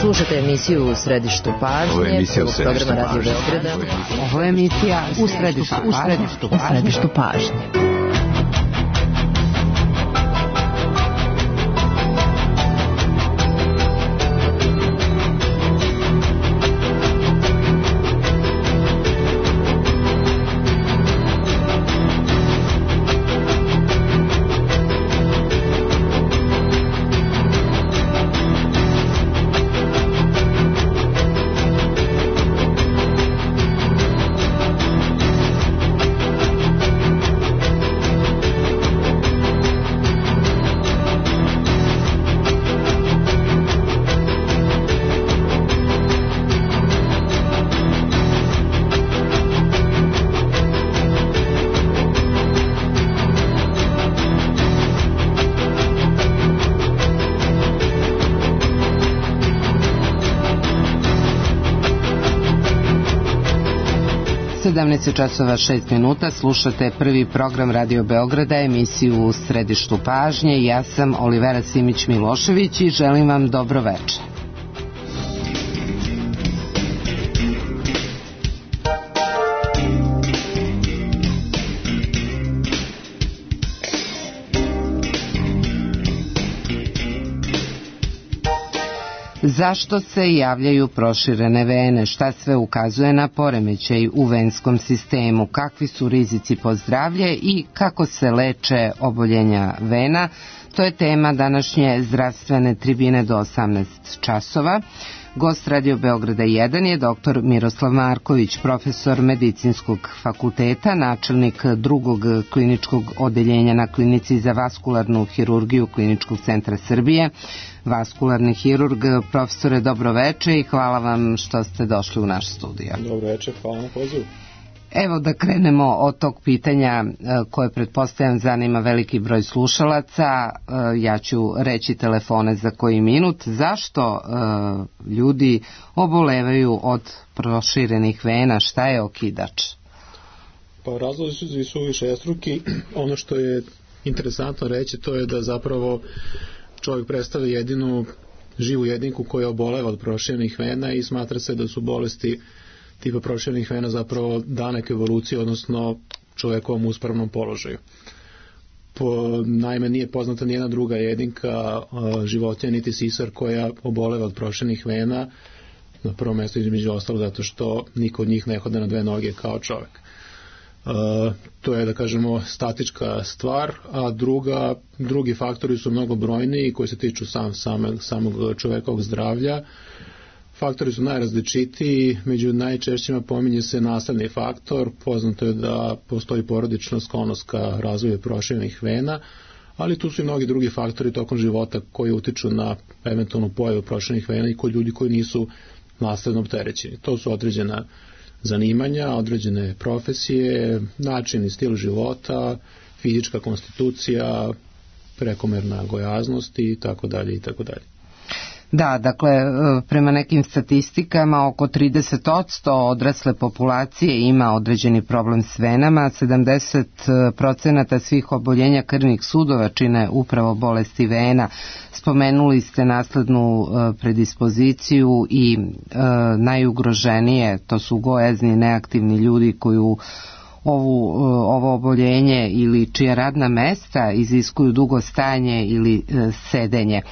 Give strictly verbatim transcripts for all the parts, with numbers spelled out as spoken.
Slušate emisiju U središtu pažnje. Ovo je emisija U središtu pažnje. Ovo je emisija U središtu, u središtu, u središtu pažnje. sedamnaest časova šest minuta, slušate prvi program Radio Beograda, emisiju U središtu pažnje. Ja sam Olivera Simić-Milošević i želim vam dobro večer. Zašto se javljaju proširene vene? Šta sve ukazuje na poremećaj u venskom sistemu? Kakvi su rizici po zdravlje i kako se leče oboljenja vena? To je tema današnje zdravstvene tribine do osamnaest časova. Gost Radio Beograda jedan je doktor Miroslav Marković, profesor Medicinskog fakulteta, načelnik drugog kliničkog odeljenja na Klinici za vaskularnu hirurgiju Kliničkog centra Srbije, vaskularni hirurg. Profesore, dobro veče i hvala vam što ste došli u naš studio. Dobro veče, hvala na pozivu. Evo da krenemo od tog pitanja koje pretpostavljam zanima veliki broj slušalaca. Ja ću reći telefone za koji minut. Zašto ljudi obolevaju od proširenih vena? Šta je okidač? Pa razlozi su višestruki. Ono što je interesantno reći to je da zapravo čovjek predstavlja jedinu živu jedinku koja oboleva od proširenih vena i smatra se da su bolesti tipa proširenih vena zapravo danak evolucije, odnosno čovjekovom uspravnom položaju. Po, naime, nije poznata nijedna druga jedinka životinja niti sisar koja oboleva od proširenih vena, na prvom mjestu između ostalo zato što niko od njih ne hode na dve noge kao čovjek. Uh, to je, da kažemo, statička stvar, a druga, drugi faktori su mnogo brojniji koji se tiču sam, same, samog čovjekovog zdravlja. Faktori su najrazličitiji, među najčešćima pominje se nasledni faktor, poznato je da postoji porodična sklonost ka razvoju proširenih vena, ali tu su i mnogi drugi faktori tokom života koji utiču na eventualnu pojavu proširenih vena i kod ljudi koji nisu nasledno opterećeni. To su određena zanimanja, određene profesije, način i stil života, fizička konstitucija, prekomerna gojaznost i tako dalje i tako dalje. Da, dakle, prema nekim statistikama oko trideset posto odrasle populacije ima određeni problem s venama, sedamdeset procenata svih oboljenja krvnih sudova čine upravo bolesti vena. Spomenuli ste naslednu predispoziciju i najugroženije, to su gojazni, neaktivni ljudi koji u Ovu, ovo oboljenje ili čija radna mesta iziskuju dugo stajanje ili e, sedenje. E,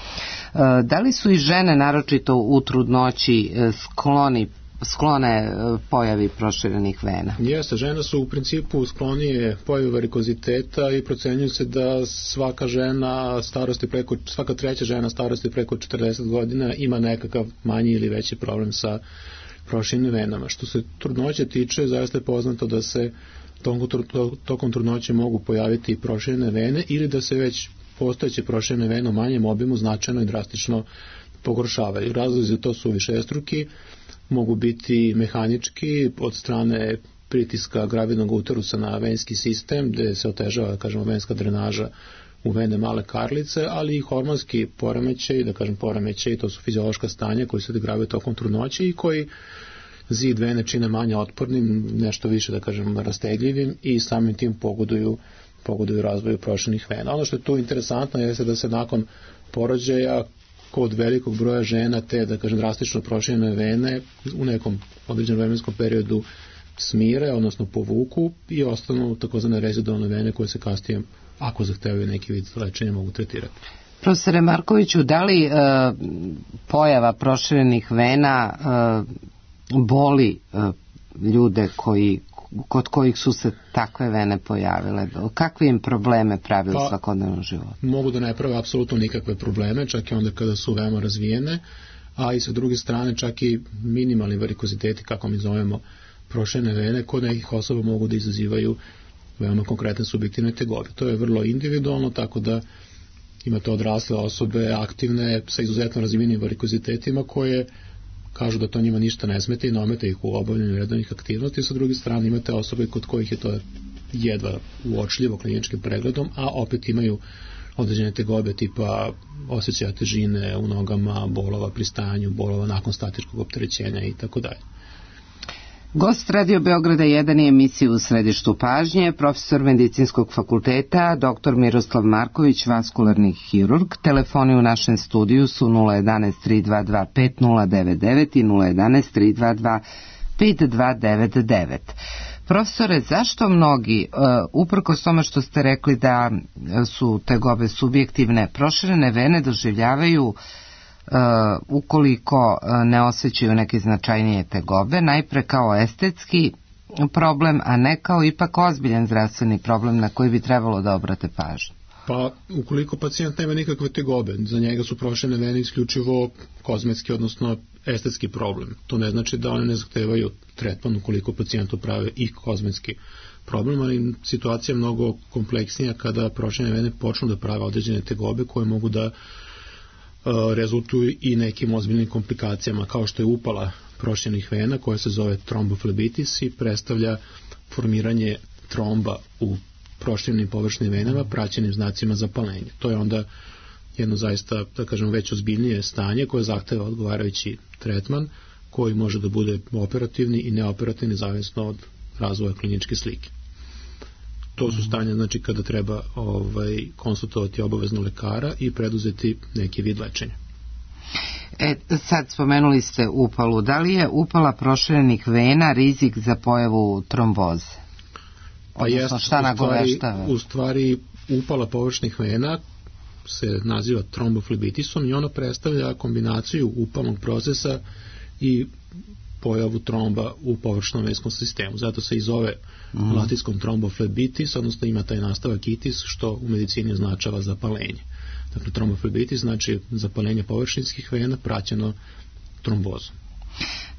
da li su i žene naročito u trudnoći e, skloni, sklone e, pojavi proširenih vena? Jeste, žene su u principu sklonije pojavi varikoziteta i procenjuje se da svaka žena starosti preko, svaka treća žena starosti preko četrdeset godina ima nekakav manji ili veći problem sa proširenim venama. Što se trudnoće tiče, zaista je poznato da se tokom trudnoće mogu pojaviti proširene vene ili da se već postojeće proširene vene u manjem obimu značajno i drastično pogoršavaju. Razlozi to su višestruki, mogu biti mehanički od strane pritiska gravidnog uterusa na venski sistem gdje se otežava, kažemo, venska drenaža u vene male karlice, ali i hormonski poremećaj, da kažem poremećaj, to su fiziološka stanja koji se odigravaju tokom trudnoće i koji zid vene čine manje otpornim, nešto više, da kažem, rastegljivim i samim tim pogoduju, pogoduju razvoju proširenih vena. Ono što je tu interesantno jeste da se nakon porođaja kod velikog broja žena te, da kažem, drastično proširene vene u nekom određenom vremenskom periodu smire, odnosno povuku i ostanu takozvane rezidualne vene koje se kasnije, ako zahtevaju neki vid lečenja, mogu tretirati. Profesore Markoviću, da li e, pojava proširenih vena e, boli e, ljude koji, kod kojih su se takve vene pojavile? Kakve im probleme pravi u pa, svakodnevnom životu? Mogu da ne prave apsolutno nikakve probleme, čak i onda kada su veoma razvijene, a i sa druge strane čak i minimalni varikoziteti, kako mi zovemo proširene vene, kod nekih osoba mogu da izazivaju veoma konkretne subjektivne tegobe. To je vrlo individualno, tako da imate odrasle osobe, aktivne, sa izuzetno razvijenim varikozitetima, koje kažu da to njima ništa ne smete i ne omete ih u obavljanju redovnih aktivnosti. Sa druge strane imate osobe kod kojih je to jedva uočljivo kliničkim pregledom, a opet imaju određene tegobe tipa osjećaja težine u nogama, bolova pri stajanju, bolova nakon statičkog opterećenja i tako dalje. Gost Radio Beograda jedan je emisiju U središtu pažnje, profesor medicinskog fakulteta, doktor Miroslav Marković, vaskularni hirurg. Telefoni u našem studiju su nula jedan tri dva dva pet nula devet devet i nula jedan tri dva dva pet dva devet devet. Profesore, zašto mnogi, uh, uprkos tome što ste rekli da su tegobe subjektivne, proširene vene doživljavaju Uh, ukoliko uh, ne osjećaju neke značajnije tegobe, najpre kao estetski problem, a ne kao ipak ozbiljan zdravstveni problem na koji bi trebalo da obrate pažnju? Pa, ukoliko pacijent nema nikakve tegobe, za njega su proširene vene isključivo kozmetski, odnosno estetski problem. To ne znači da one ne zahtevaju tretman ukoliko pacijentu prave i kozmetski problem, ali situacija je mnogo kompleksnija kada proširene vene počnu da prave određene tegobe koje mogu da rezultuju i nekim ozbiljnim komplikacijama, kao što je upala proširenih vena koja se zove tromboflebitis i predstavlja formiranje tromba u proširenim površnim venama praćenim znacima zapalenja. To je onda jedno zaista, da kažem, već ozbiljnije stanje koje zahteva odgovarajući tretman koji može da bude operativni i neoperativni zavisno od razvoja kliničke slike. To su stanja, znači, kada treba ovaj, konsultovati obavezno lekara i preduzeti neki vid lečenja. E, sad spomenuli ste upalu. Da li je upala proširenih vena rizik za pojavu tromboze? Pa jest, šta nagoveštava? U stvari, upala površnih vena se naziva tromboflebitisom i ona predstavlja kombinaciju upalnog procesa i pojavu tromba u površnom venskom sistemu. Zato se i zove mm. latinskom tromboflebitis, odnosno ima taj nastavak itis, što u medicini označava zapalenje. Dakle, tromboflebitis znači zapalenje površinskih vena praćeno trombozom.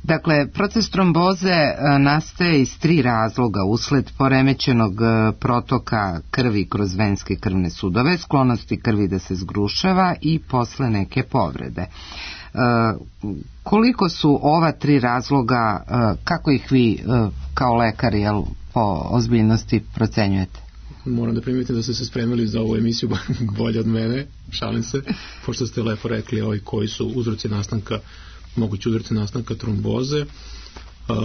Dakle, proces tromboze nastaje iz tri razloga: usled poremećenog protoka krvi kroz venske krvne sudove, sklonosti krvi da se zgrušava i posle neke povrede. Koliko su ova tri razloga, kako ih vi kao lekar, jel, po ozbiljnosti procenjujete? Moram da primijetim da ste se spremili za ovu emisiju bolje od mene, šalim se, pošto ste lepo rekli ovaj, koji su uzroci nastanka, mogući uzroci nastanka tromboze.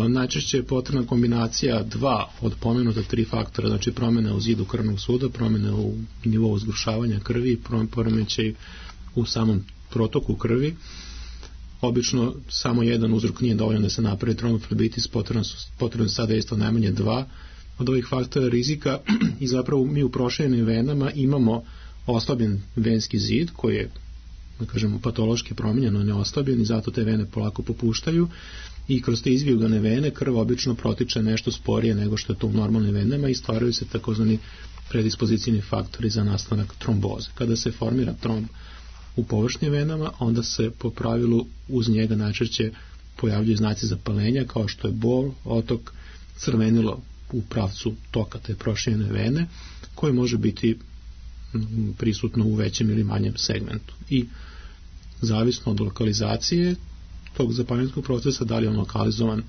Najčešće je potrebna kombinacija dva od pomenuta tri faktora, znači promjena u zidu krvnog suda, promjena u nivou zgrušavanja krvi i poremećaj u samom protoku krvi. Obično samo jedan uzrok nije dovoljno da se napravi tromboflebitis, potrebno su potrebno sada isto najmanje dva od ovih faktora rizika i zapravo mi u proširenim venama imamo oslabljen venski zid koji je, da kažemo, patološki promijenjen, on je oslabljen i zato te vene polako popuštaju i kroz te izvijugane vene krv obično protiče nešto sporije nego što je to u normalnim venama i stvaraju se takozvani predispozicijni faktori za nastanak tromboze. Kada se formira tromb u površnim venama, onda se po pravilu uz njega najčešće pojavljuju znaci zapalenja kao što je bol, otok, crvenilo u pravcu toka te proširene vene koje može biti prisutno u većem ili manjem segmentu. I zavisno od lokalizacije tog zapalenskog procesa, da li je on lokalizovan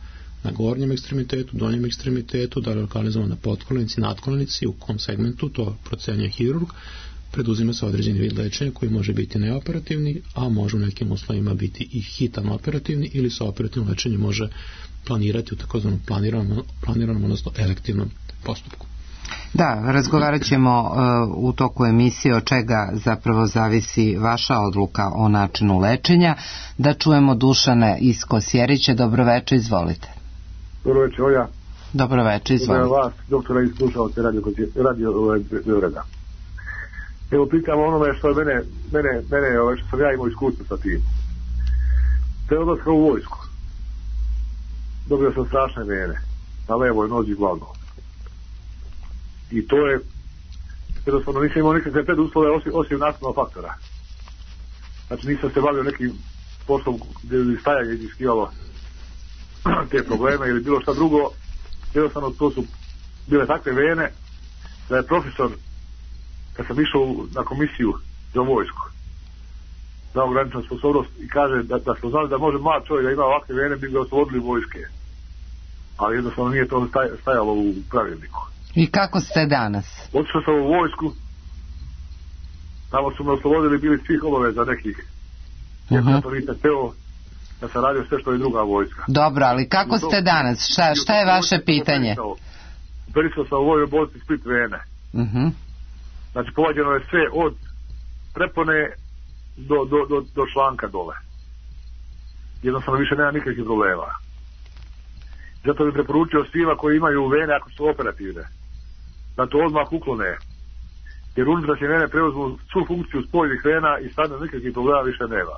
na gornjem ekstremitetu, donjem ekstremitetu, da li je lokalizovan na potkolenici, nadkolenici, u kom segmentu, to procenjuje hirurg, preduzima se određeni vid lečenja koji može biti neoperativni, a može u nekim uslovima biti i hitan operativni ili se operativno lečenje može planirati u takozvanom planiranom, planiranom, odnosno elektivnom postupku. Da, razgovarat ćemo uh, u toku emisije od čega zapravo zavisi vaša odluka o načinu lečenja. Da čujemo Dušana iz Kosjerića. Dobroveče, izvolite. Dobroveče, Oja. Dobroveče, izvolite. Dobro vas, doktora, i slušalce radio, radio Beograda. Evo, pitam onome što je mene, mene, mene ove, što sam ja imao iskustvo sa tim. Te odlaska u vojsku. Dobio sam strašne vene. Na levoj nozi glavno. I to je, jednostavno nisam imao nikakve preduslove osim, osim nastavnog faktora. Znači nisam se bavio nekim poslom gdje bi stajanje iziskivalo te probleme ili bilo šta drugo. Jednostavno to su bile takve vene da je profesor, kad sam išao na komisiju za vojsku, za ograničenu sposobnost i kaže da, da smo znali da može mlad čovjek da ima ovakve vene, bi ga oslobodili vojske. Ali jednostavno nije to stajalo u pravilniku. I kako ste danas? Otišao sam u vojsku, tamo su me oslobodili, bili svih obaveza nekih. Jer uh-huh. ja to nisam teo, da sam radio sve što je druga vojska. Dobro, ali kako to, ste danas? Šta, šta je vaše pitanje? Operisao sam u vojnoj bolnici Split vene. Uh-huh. Znači povađeno je sve od prepone do, do, do, do članka dole. Jednostavno više nema nikakvih problema. Zato bih preporučio svima koji imaju vene, ako su operativne, da to odmah uklone. Jer unutrašnje vene preuzmu svu funkciju spoljnih vena i sad nikakvih problema više nema.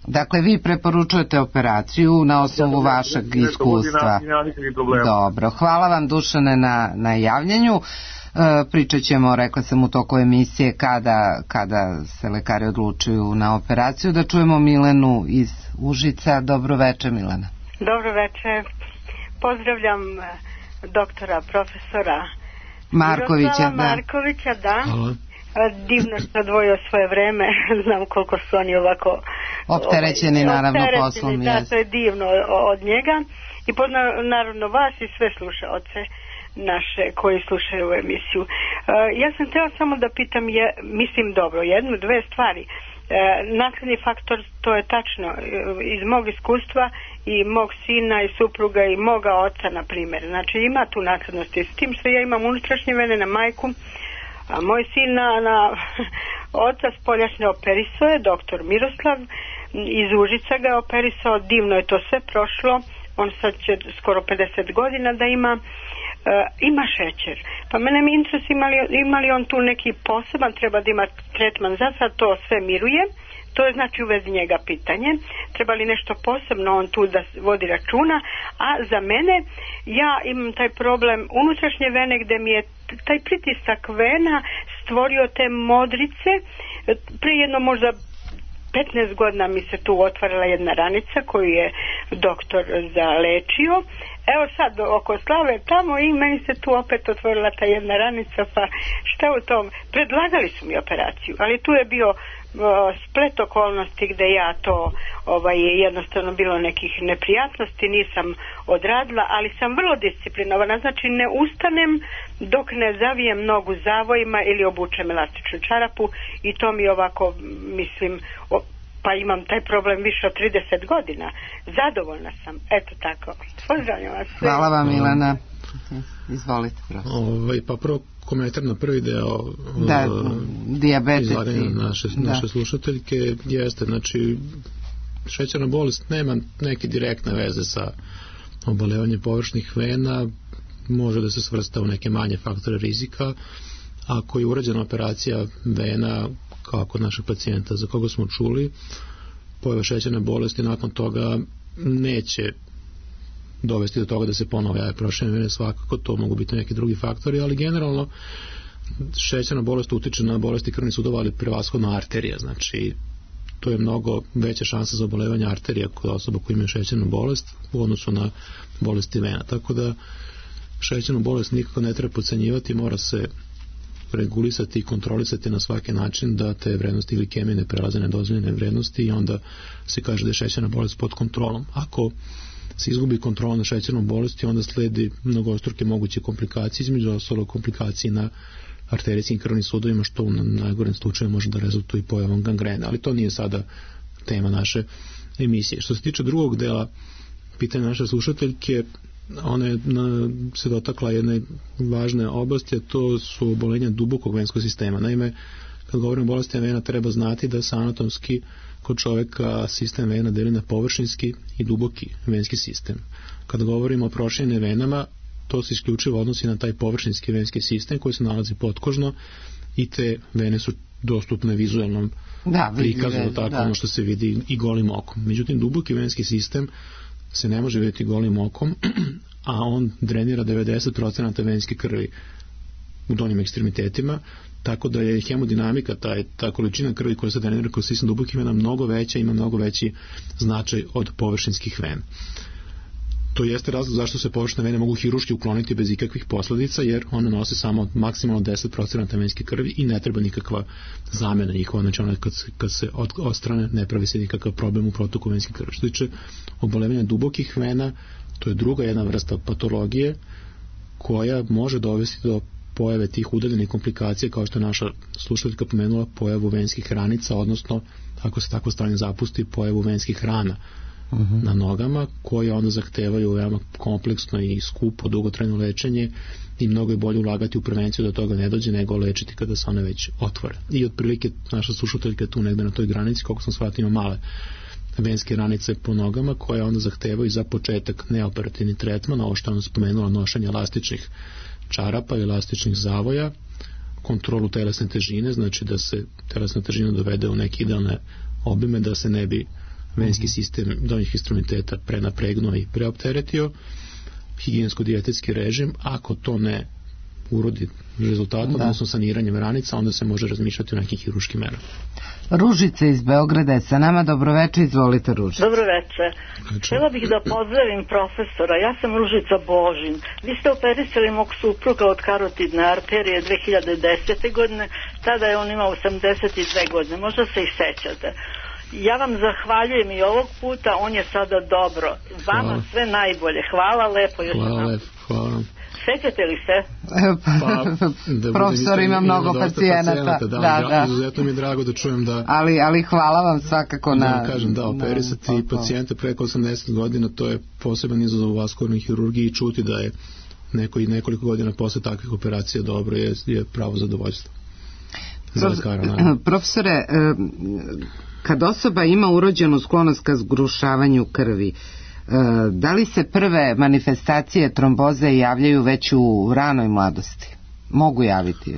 Dakle, vi preporučujete operaciju na osnovu ja, vašeg iskustva. Dobro, hvala vam, Dušane, na, na javljanju. E, pričat ćemo, rekla sam u toku emisije, kada, kada se lekari odlučuju na operaciju. Da čujemo Milenu iz Užica. Dobro večer, Milena. Dobro večer. Pozdravljam doktora, profesora Markovića, Miroslava da. Markovića, da. Hvala. Divno što odvojio svoje vreme. Znam koliko su oni ovako opterećeni, ovaj, naravno, poslom. Da, jes. To je divno od njega. I poznam naravno vas i sve slušaoce naše koji slušaju u emisiju. Uh, ja sam htjela samo da pitam, je, mislim dobro, jednu, dve stvari. Uh, nasledni faktor, to je tačno, uh, iz mog iskustva i mog sina i supruga i moga oca, na primjer. Znači ima tu naslednosti. S tim što ja imam unutrašnje vene na majku, a moj sin na, na oca spoljašnje operisao je doktor Miroslav, iz Užica ga je operisao, divno je to sve prošlo, on sad će skoro pedeset godina da ima, uh, ima šećer. Pa mene mi interes imali, imali on tu neki poseban, treba da ima tretman, za sad to sve miruje. To je znači u vezi njega pitanje. Treba li nešto posebno on tu da vodi računa? A za mene, ja imam taj problem unutrašnje vene gdje mi je taj pritisak vena stvorio te modrice. Prije jedno možda petnaest godina mi se tu otvarala jedna ranica koju je doktor zalečio. Evo sad oko Slave tamo i meni se tu opet otvorila ta jedna ranica, pa šta u tom? Predlagali su mi operaciju, ali tu je bio splet okolnosti gdje ja to ovaj, jednostavno bilo nekih neprijatnosti, nisam odradila, ali sam vrlo disciplinovana, znači ne ustanem dok ne zavijem nogu zavojima ili obučem elastičnu čarapu i to mi ovako, mislim, o, pa imam taj problem više od trideset godina. Zadovoljna sam, eto tako. Pozdravljam vas. Hvala vam, Milena. Izvolite, ovaj, pa prvo komentar na prvi deo da, dijabetes izlaganja naše, naše da. slušateljke jeste, znači šećerna bolest nema neke direktne veze sa obolevanjem površnih vena, može da se svrsta u neke manje faktore rizika. Ako je urađena operacija vena kao kod našeg pacijenta za koga smo čuli, pojava šećerne bolesti nakon toga neće dovesti do toga da se ponovo jave proširene vene, svakako to mogu biti neki drugi faktori, ali generalno šećerna bolest utiče na bolesti krvnih sudova, ali prevashodno arterija, znači to je mnogo veća šansa za obolevanje arterija kod osoba koji imaju šećernu bolest u odnosu na bolesti vena, tako da šećernu bolest nikako ne treba podcenjivati, mora se regulisati i kontrolisati na svaki način da te vrednosti glikemije ne prelaze nedozvoljene vrednosti i onda se kaže da je šećerna bolest pod kontrolom. Ako se izgubi kontrola na šećernom bolesti, onda sledi mnogostruke moguće komplikacije, između ostalog komplikacije na arterijskim krvnim sudovima, što u najgorem slučaju može da rezultuje i pojavom gangrene, ali to nije sada tema naše emisije. Što se tiče drugog dela pitanja naše slušateljke, ona je na, se dotakla jedne važne oblasti, a to su obolenja dubokog venskog sistema. Naime, kad govorimo o bolestima vena, treba znati da se anatomski kod čoveka sistem vena deli na površinski i duboki venski sistem. Kad govorimo o proširenim venama, to se isključivo odnosi na taj površinski venski sistem koji se nalazi potkožno i te vene su dostupne vizualnom da, prikazu, tako da. Ono što se vidi i golim okom. Međutim, duboki venski sistem se ne može vidjeti golim okom, a on drenira devedeset procenata venske krvi u donjim ekstremitetima, tako da je hemodinamika, taj, ta količina krvi koja se drenira kroz sistem dubokih vena mnogo veća, ima mnogo veći značaj od površinskih vena. To jeste razlog zašto se površine vene mogu hiruški ukloniti bez ikakvih posledica, jer one nose samo maksimalno deset procenata venske krvi i ne treba nikakva zamena njihova, znači one kad se, kad se od, odstrane ne pravi se nikakav problem u protoku venske krvi. Što tiče obolevanja dubokih vena, to je druga jedna vrsta patologije koja može dovesti do pojave tih udaljenih komplikacija, kao što je naša slušateljka pomenula, pojavu venskih ranica, odnosno, ako se tako stanje zapusti, pojavu venskih rana uh-huh. na nogama, koje onda zahtevaju veoma kompleksno i skupo dugotrajno lečenje i mnogo je bolje ulagati u prevenciju da toga ne dođe nego lečiti kada se one već otvore. I otprilike naša slušateljka tu negde na toj granici, koliko sam shvatio, ima male venske ranice po nogama koje onda zahtevaju za početak neoperativni tretman, ovo što je ona spomenula, nošenje elastičnih čarapa i elastičnih zavoja, kontrolu telesne težine, znači da se telesna težina dovede u neke idealne obime, da se ne bi venski sistem donjih ekstremiteta prenapregnuo i preopteretio, higijensko-dijetetski režim. Ako to ne urodi rezultatom, odnosno saniranjem ranica, onda se može razmišljati o nekim hiruškim merama. Ružica iz Beograda je sa nama. Dobroveče, izvolite Ružica. Dobroveče. Htjela bih da pozdravim profesora. Ja sam Ružica Božin. Vi ste operisali mog supruga od karotidne arterije dve hiljade desete. godine, tada je on imao osamdeset dve godine, možda se i sećate. Ja vam zahvaljujem i ovog puta, on je sada dobro. Vama hvala. Sve najbolje. Hvala lepo. Još hvala lepo, hvala. Sećate li se? Pa, da profesor ima mnogo pacijenata. Da, da, da, da. Izuzetno mi je drago da čujem da... Ali, ali hvala vam svakako na... Da kažem, da, operisati na, pacijente preko osamdeset godina, to je poseban izazov u vaskularnoj hirurgiji i čuti da je neko i nekoliko godina posle takvih operacija dobro je, je pravo zadovoljstvo. Prof, profesore, kad osoba ima urođenu sklonost ka zgrušavanju krvi, da li se prve manifestacije tromboze javljaju već u ranoj mladosti? Mogu javiti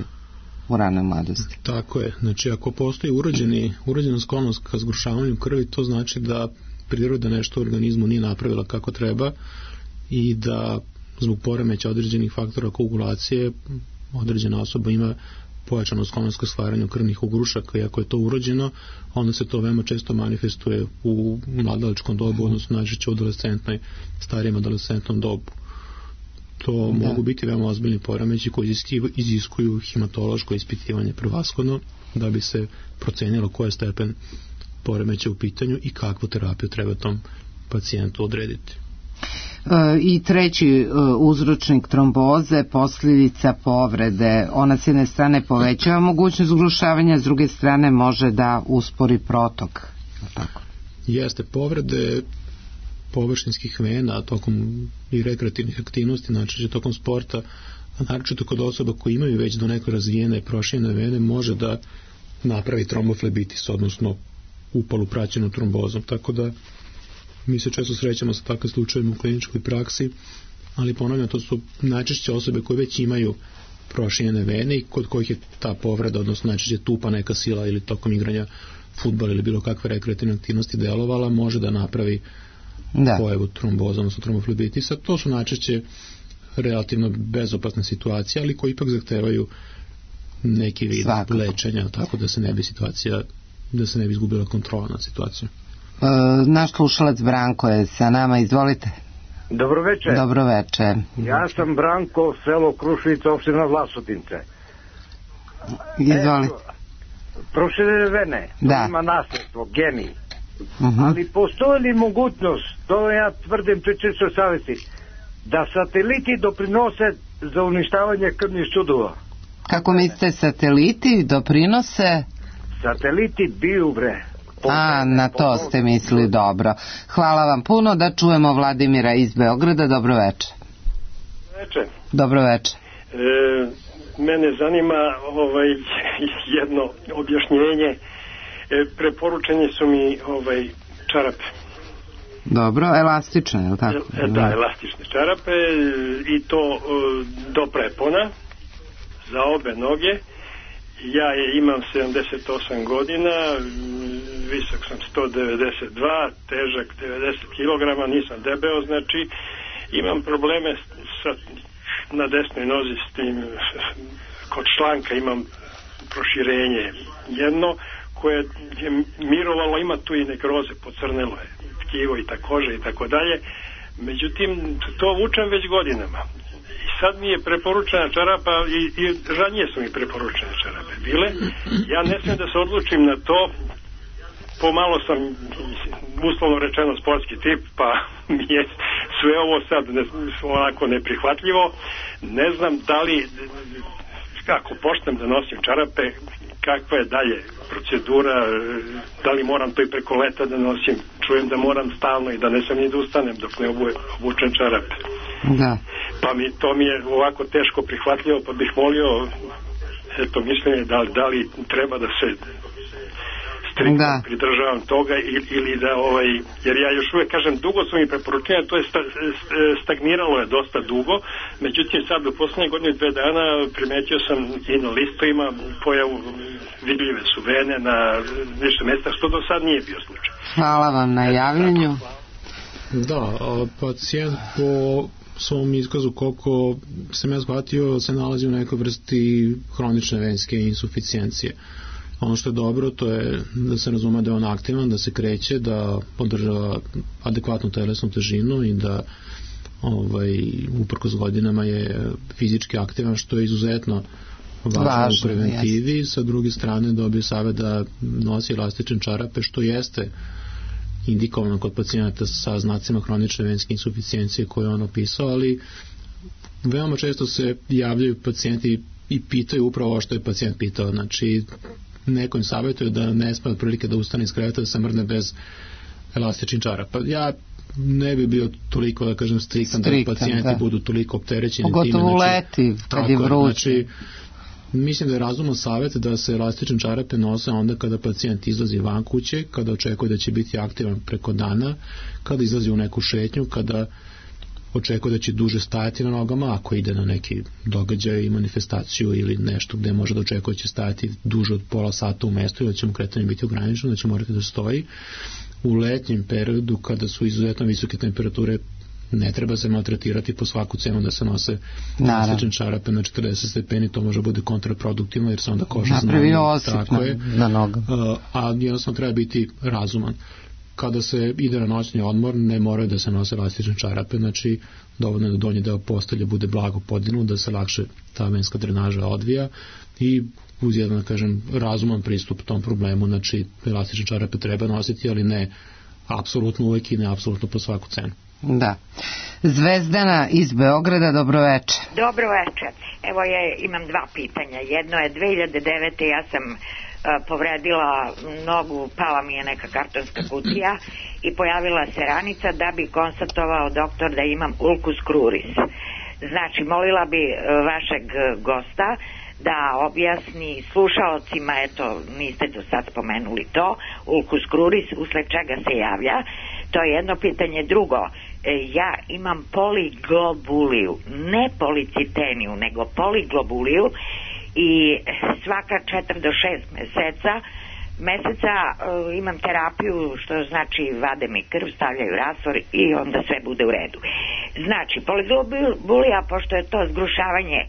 u ranoj mladosti? Tako je. Znači, ako postoji urođeni, urođena sklonost ka zgrušavanju krvi, to znači da priroda nešto u organizmu nije napravila kako treba i da zbog poremeća određenih faktora koagulacije određena osoba ima pojačanu sklonost ka stvaranju krvnih ugrušaka i ako je to urođeno, onda se to veoma često manifestuje u mladalačkom dobu, odnosno najčešće u adolescentnoj, starijem adolescentnom dobu. To da. Mogu biti veoma ozbiljni poremeći koji iziskuju hematološko ispitivanje prvashodno da bi se procenilo koji je stepen poremeća u pitanju i kakvu terapiju treba tom pacijentu odrediti. I treći uzročnik tromboze, posljedica povrede. Ona s jedne strane povećava mogućnost zgrušavanja, s druge strane može da uspori protok. Tako. Jeste, povrede površinskih vena tokom i rekreativnih aktivnosti, znači tokom sporta, a naročito kod osoba koji imaju već do neko razvijene proširene vene, može da napravi tromboflebitis, odnosno upalu praćenu trombozom. Tako da mi se često srećamo sa takvim slučajima u kliničkoj praksi, ali ponavljam, to su najčešće osobe koje već imaju proširene vene i kod kojih je ta povreda, odnosno najčešće tupa neka sila ili tokom igranja fudbala ili bilo kakve rekreativne aktivnosti delovala, može da napravi da. pojavu tromboza, odnosno tromboflebitisa. To su najčešće relativno bezopasne situacije, ali koji ipak zahtevaju neki vid Svakako. lečenja, tako da se ne bi situacija, da se ne bi izgubila kontrola nad situacijom. Uh, naš slušalac Branko je sa nama, izvolite. Dobroveče. Dobroveče. Ja sam Branko, selo Kruševica, opština Vlasotince. Izvolite. Proširene vene, da. ima nasljedstvo, geni. Uh-huh. Ali postoji li mogućnost, to ja tvrdim pri čistoj savjesti, da sateliti doprinose za uništavanje krvnih sudova? Kako mislite, sateliti doprinose? Sateliti biju, bre. A, na to ste mislili, dobro. Hvala vam puno, da čujemo Vladimira iz Beograda. Dobro večer. Veče. Dobro veče. E, mene zanima ovaj, jedno objašnjenje. E, preporučeni su mi ovaj, čarape. Dobro, elastične, je li tako? E, da, elastične čarape i to e, do prepona za obe noge. Ja je imam sedamdeset osam godina, visok sam sto devedeset dva, težak devedeset kilograma, nisam debeo, znači imam probleme sa, na desnoj nozi s tim, kod članka imam proširenje jedno koje je mirovalo, ima tu i nekroze, pocrnelo je tkivo i ta koža i tako dalje, međutim to vučem već godinama. Sad mi je preporučena čarapa i, i ranije su mi preporučene čarape bile. Ja ne smijem da se odlučim na to, pomalo sam uslovno rečeno sportski tip, pa mi je sve ovo sad ne, onako neprihvatljivo. Ne znam da li, kako počnem da nosim čarape, kakva je dalje procedura, da li moram to i preko leta da nosim, čujem da moram stalno i da ne sam ni da ustanem dok ne obučem čarape. Da. Pa mi, to mi je ovako teško prihvatljivo, pa bih molio eto mišljenje da, da li treba da se striktno da. pridržavam toga ili, ili da ovaj, jer ja još uvijek kažem dugo su mi preporučenja, to je sta, stagniralo je dosta dugo, međutim sad u posljednje godine dve dana primetio sam i na listovima pojavu, vidljive su vene na više mjesta, što do sad nije bio slučaj. Hvala vam na javljanju. Da, pacijent po svom iskazu, koliko sam ja shvatio, se nalazi u nekoj vrsti hronične venske insuficijencije. Ono što je dobro, to je da se razume da je on aktivan, da se kreće, da podržava adekvatnu telesnu težinu i da ovaj, uprkos godinama je fizički aktivan, što je izuzetno važno, važno u preventivi. Jest. Sa druge strane dobio savjet da nosi elastične čarape, što jeste indikovano kod pacijenata sa znacima hronične venske insuficijencije koje je on opisao, ali veoma često se javljaju pacijenti i pitaju upravo ovo što je pacijent pitao. Znači, neko im savjetuje da ne sme otprilike da ustane iz kreveta, da se mrdne bez elastičnih čarapa. Ja ne bi bio toliko, da kažem, striktan, striktan da pacijenti da. budu toliko opterećeni. Pogotovo time, znači, leti, kad je vruće. Znači, mislim da je razuman savjet da se elastične čarape nose onda kada pacijent izlazi van kuće, kada očekuje da će biti aktivan preko dana, kada izlazi u neku šetnju, kada očekuje da će duže stajati na nogama, ako ide na neki događaj i manifestaciju ili nešto gde može da očekuje da će stajati duže od pola sata u mestu ili da će mu kretanje biti ograničeno, da će morati da stoji. U letnjem periodu, kada su izuzetno visoke temperature, ne treba se maltretirati po svaku cenu da se nose elastične čarape na četrdeset stepeni, to može bude kontraproduktivno jer se onda koža napravi osip na, na nogama. A jednostavno treba biti razuman. Kada se ide na noćni odmor, ne moraju da se nose elastične čarape, znači dovoljno je da donji deo postelje bude blago podignut, da se lakše ta venska drenaža odvija i uz jedan, da kažem, razuman pristup tom problemu, znači elastične čarape treba nositi, ali ne apsolutno uvek i ne apsolutno po svaku cenu. Da. Zvezdana iz Beograda, dobro veče. Dobro veče. Evo ja imam dva pitanja. Jedno je dve hiljade devete. ja sam uh, povredila nogu, pala mi je neka kartonska kutija i pojavila se ranica da bi konstatovao doktor da imam ulcus cruris. Znači, molila bi uh, vašeg gosta da objasni slušaocima, eto, niste do sad spomenuli to, ulcus cruris, usled čega se javlja. To je jedno pitanje. Drugo, ja imam poliglobuliju, ne policiteniju, nego poliglobuliju i svaka četiri do šest meseca meseca uh, imam terapiju, što znači vade mi krv, stavljaju rastvor i onda sve bude u redu. Znači, poliglobulija, pošto je to zgrušavanje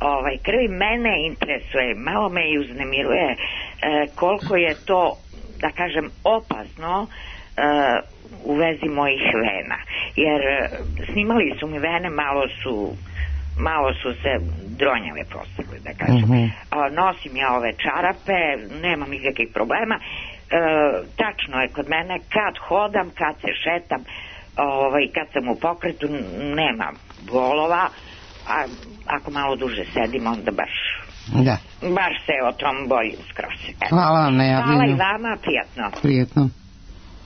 ovaj, krvi, mene interesuje, malo me i uznemiruje uh, koliko je to, da kažem, opasno uh, u vezi mojih vena, jer snimali su mi vene, malo su malo su se dronjave postavili, da kažem. Uh-huh. Nosim ja ove čarape, nemam nikakvih problema. E, tačno je kod mene, kad hodam, kad se šetam, ovaj, kad sam u pokretu, nema bolova, a ako malo duže sedim, onda baš da. baš se o tom bojim skroz. Hvala vam na javljanju. Hvala i vama, prijatno. Prijatno.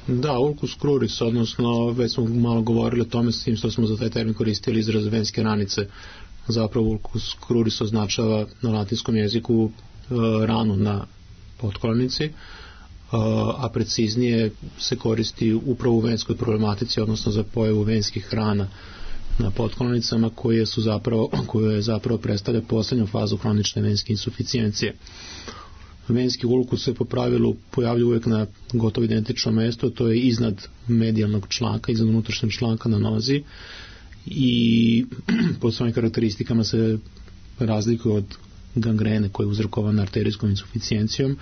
Da, ulcus cruris, odnosno već smo malo govorili o tome s tim što smo za taj termin koristili izraz venske ranice. Zapravo ulcus cruris označava na latinskom jeziku e, ranu na potkolenici, e, a preciznije se koristi upravo u venskoj problematici, odnosno za pojavu venskih rana na potkolonicama koje su zapravo, koje zapravo predstavlja poslednju fazu hronične venske insuficijencije. Venski ulkus se po pravilu pojavlja uvijek na gotovo identično mesto, to je iznad medijalnog članka, iznad unutrašnjeg članka na nozi i po svojim karakteristikama se razlikuje od gangrene koja je uzrokovana arterijskom insuficijencijom.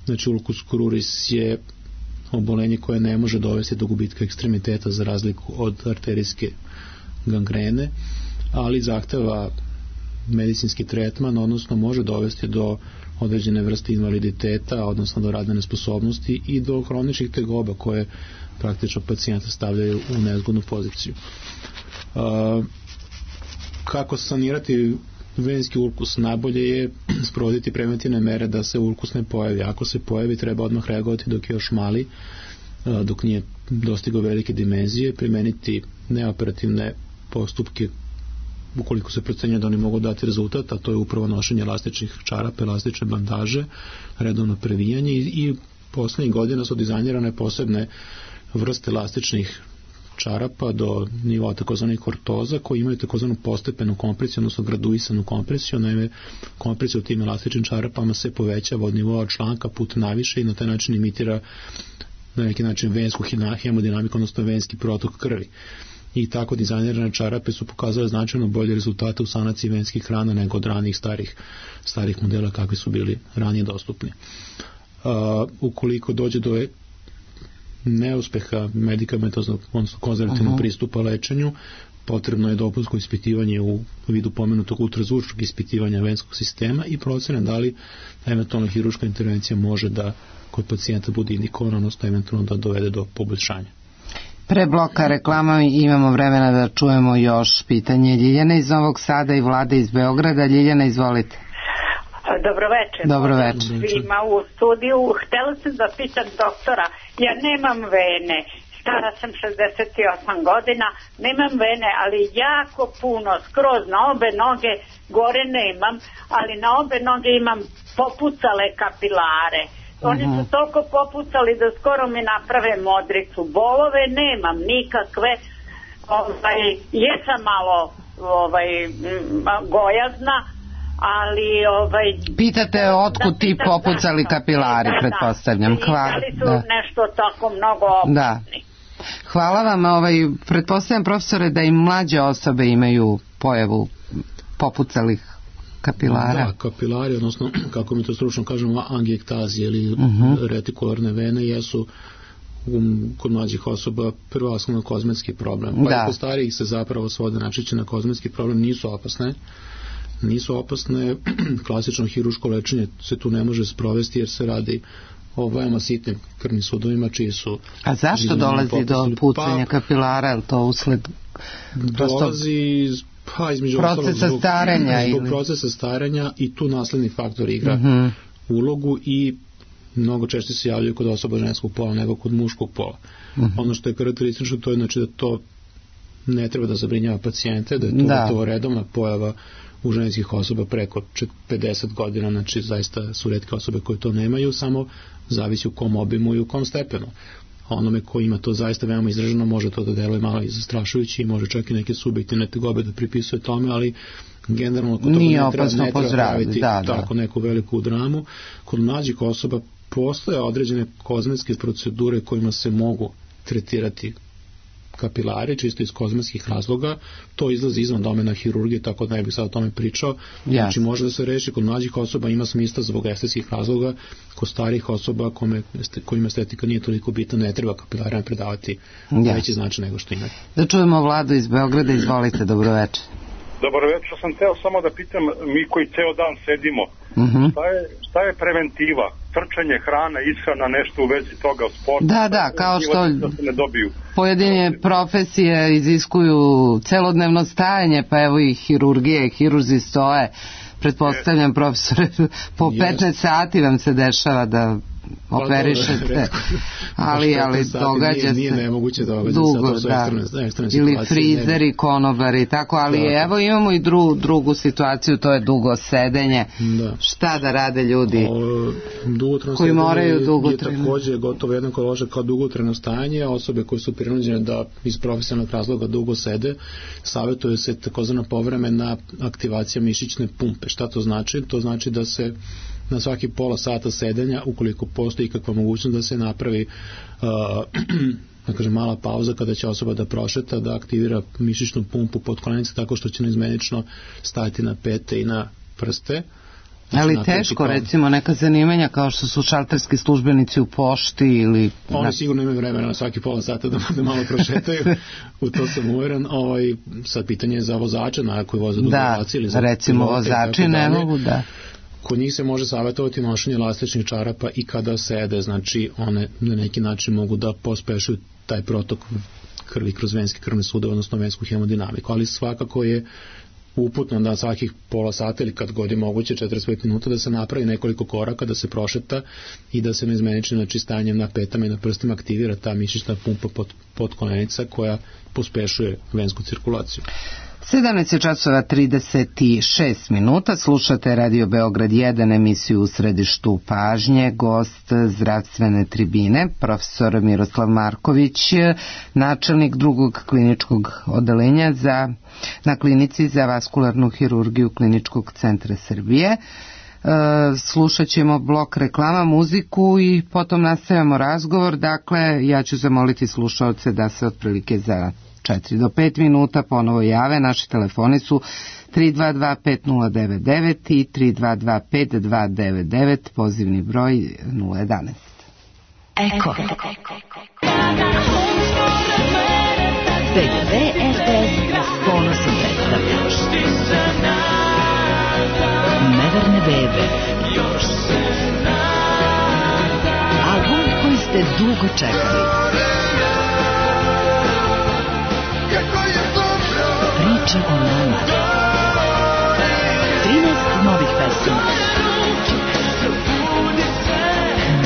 Znači ulcus cruris je obolenje koje ne može dovesti do gubitka ekstremiteta za razliku od arterijske gangrene, ali zahteva medicinski tretman, odnosno može dovesti do određene vrste invaliditeta, odnosno do radne nesposobnosti i do hroničnih tegoba koje praktično pacijenta stavljaju u nezgodnu poziciju. Uh, kako sanirati venski ulkus? Najbolje je sprovoditi preventivne mere da se ulkus ne pojavi. Ako se pojavi, treba odmah reagovati dok je još mali, uh, dok nije dostigao velike dimenzije, primeniti neoperativne postupke ukoliko se procenjuje da oni mogu dati rezultat, a to je upravo nošenje elastičnih čarapa, elastične bandaže, redovno previjanje i, i poslednjih godina su dizajnirane posebne vrste elastičnih čarapa do nivoa takozvanih ortoza koji imaju takozvanu postepenu kompresiju, odnosno graduisanu kompresiju. Naime, kompresija u tim elastičnim čarapama se povećava od nivoa članka put naviše i na taj način imitira na neki način vensku hemodinamiku, odnosno venski protok krvi. I tako dizajnirane čarape su pokazale značajno bolje rezultate u sanaciji venskih rana nego od ranijih starih, starih modela kakvi su bili ranije dostupni. Uh, ukoliko dođe do neuspeha medikamentoznog, odnosno konzervativnog uh-huh. pristupa lečenju, potrebno je dopunsko ispitivanje u vidu pomenutog ultrazvučnog ispitivanja venskog sistema i procene da li eventualna hirurška intervencija može da kod pacijenta bude indikovana, odnosno eventualno da dovede do poboljšanja. Pre bloka reklama imamo vremena da čujemo još pitanje Ljiljana iz Novog Sada i Vlade iz Beograda. Ljiljana, izvolite. Dobro večer. Dobro večer. Svima u studiju. Htela sam da pitam doktora, ja nemam vene, stara sam šezdeset osam godina, nemam vene, ali jako puno, skroz na obe noge, gore nemam, ali na obe noge imam popucale kapilare. Oni su toliko popucali da skoro mi naprave modricu. Bolove nemam nikakve. Ovaj, jesam malo ovaj, gojazna, ali ovaj... Pitate otkud ti popucali kapilari, da, pretpostavljam. Da, Hvala. Da li su da. nešto tako mnogo opasni. Da. Hvala vam. Ovaj, pretpostavljam, profesore, da i mlađe osobe imaju pojavu popucalih kapilara. Da, kapilari, odnosno, kako mi to stručno kažemo, angiektazije ili uh-huh. retikularne vene jesu um, kod mlađih osoba prvenstveno kozmetski problem. Pa da. i kod starijih se zapravo svode najčešće na kozmetski problem, nisu opasne. Nisu opasne, klasično hiruško lečenje se tu ne može sprovesti jer se radi o veoma sitnim krvnim sudovima čiji su... A zašto dolazi do pucanja pa, kapilara? Je li to usled... Dolazi pa između procesa zbog, starenja zbog ili... procesa starenja i tu nasledni faktor igra uh-huh. ulogu i mnogo češće se javljaju kod osoba ženskog pola nego kod muškog pola. Uh-huh. Ono što je karakteristično to je znači da to ne treba da zabrinjava pacijente, da je to, da. to redovna pojava u ženskih osoba preko pedeset godina, znači zaista su retke osobe koje to nemaju, samo zavisi u kom obimu i u kom stepenu. Onome ko ima to zaista veoma izraženo može to da deluje malo i zastrašujući i može čak i neke subjektivne tegobe da pripisuje tome, ali generalno kod toga ne treba, ne treba praviti da, da. tako neku veliku dramu. Kod mlađih osoba postoje određene kozmetske procedure kojima se mogu tretirati kapilari, čisto iz kozmetskih razloga, to izlazi izvan domena hirurgije, tako da ne bih sad o tome pričao. Znači, može da se reši kod mlađih osoba, ima smisla zbog estetskih razloga, kod starih osoba kome, kojima estetika nije toliko bitna, ne treba kapilarima predavati veći značaj nego što imaju. Da čujemo Vladu iz Beograda, izvolite, dobro večer. Dobro večer, sam teo samo da pitam, mi koji ceo dan sedimo, uh-huh. šta, je, šta je preventiva? Trčanje, hrana, ishrana, nešto u vezi toga, sporta? Da, da, kao što da se ne dobiju. Pojedine profesije iziskuju celodnevno stajanje, pa evo i hirurgije, hirurzi stoje, pretpostavljam, profesore, po petnaest sati vam se dešava da operišete, ali, ali događa se nije nemoguće događa dugo, se, da, ili frizeri, konobari, tako, ali da. Evo imamo i dru, drugu situaciju, to je dugo sedenje, da. Šta da rade ljudi o, koji moraju dugotrajno? Je takođe gotovo jednako loše kao dugotrajno stajanje, osobe koje su prinuđene da iz profesionalnog razloga dugo sede, savjetuje se takozvana povremena aktivacija mišićne pumpe. Šta to znači? To znači da se na svaki pola sata sedenja, ukoliko postoji kakva mogućnost da se napravi uh, da kažem, mala pauza kada će osoba da prošeta, da aktivira mišićnu pumpu podkolenice tako što će neizmenično stajati na pete i na prste. Znači, ali teško, kao... recimo, neka zanimanja kao što su šalterski službenici u pošti ili... Oni na... sigurno imaju vremena na svaki pola sata da, da malo prošetaju, u to sam uveren. Ovaj, sad pitanje je za vozača, na koji voza dugo relacije ili za... Da, recimo vozači ne mogu, da... Kod njih se može savjetovati nošenje elastičnih čarapa i kada sede, znači one na neki način mogu da pospešuju taj protok krvi kroz venske krvne sudove, odnosno vensku hemodinamiku, ali svakako je uputno da svakih pola sata ili kad god je moguće četrdeset pet minuta da se napravi nekoliko koraka, da se prošeta i da se neizmenično, znači stanjem na petama i na prstima aktivira ta mišićna pumpa pod, podkolenica koja pospešuje vensku cirkulaciju. sedamnaest časova trideset šest minuta, slušate Radio Beograd jedan, emisiju U središtu pažnje, gost zdravstvene tribine, profesor Miroslav Marković, načelnik drugog kliničkog odeljenja za, na klinici za vaskularnu hirurgiju Kliničkog centra Srbije. E, slušat ćemo blok reklama, muziku i potom nastavljamo razgovor. Dakle, ja ću zamoliti slušaoce da se otprilike za četiri do pet minuta ponovo jave. Naši telefoni su tri dva dva pet nula devet devet i tri dva dva pet dva devet devet, pozivni broj nula jedanaest. Eko. P G P R T S ponosno predstavlja Neverne bebe, album koji ste dugo čekali. Priča o nama. trinaest novih pesama.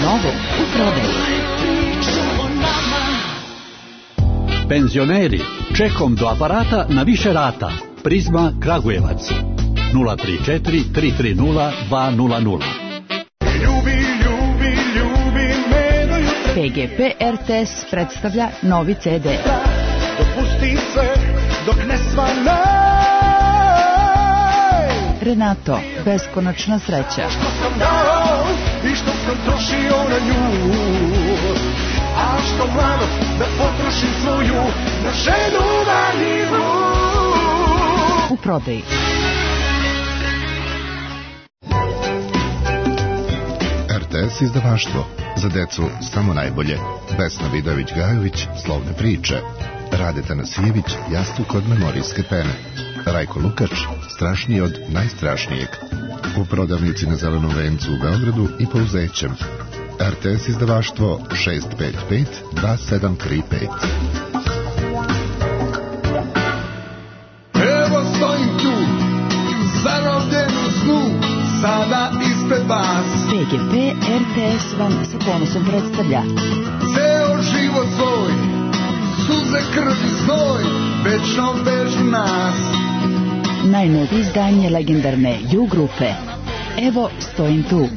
Novo u prodaji. Penzioneri, čekom do aparata na više rata. Prizma Kragujevac. nula tri četiri tri tri nula dva nula nula. Ljubi, ljubi, ljubi me do jutra. P G P R T S predstavlja novi C D. Dopusti sve dok ne svane. Renato, beskonačna sreća. Što sam dao i što sam trošio na nju, a što mlado da potrošim svoju na ženu marljivu. U prodaji. R T S izdavaštvo, za decu samo najbolje. Vesna Vidović-Gajović, Slovne priče. Rade Tanasijević, Jastuk od memorijske pene. Rajko Lukač, Strašniji od najstrašnijeg. U prodavnici na Zelenom vencu u Beogradu i Pouzećem. R T S izdavaštvo šest pet pet dva sedam tri pet. Evo stojim tu, zarobljen u snu, sada ispred vas. P G P R T S vam sa ponosom predstavlja ceo život svoj, suze, krv i znoj, večno vežu nas. najnovije izdanje legendarne U grupe. Evo stojim tu.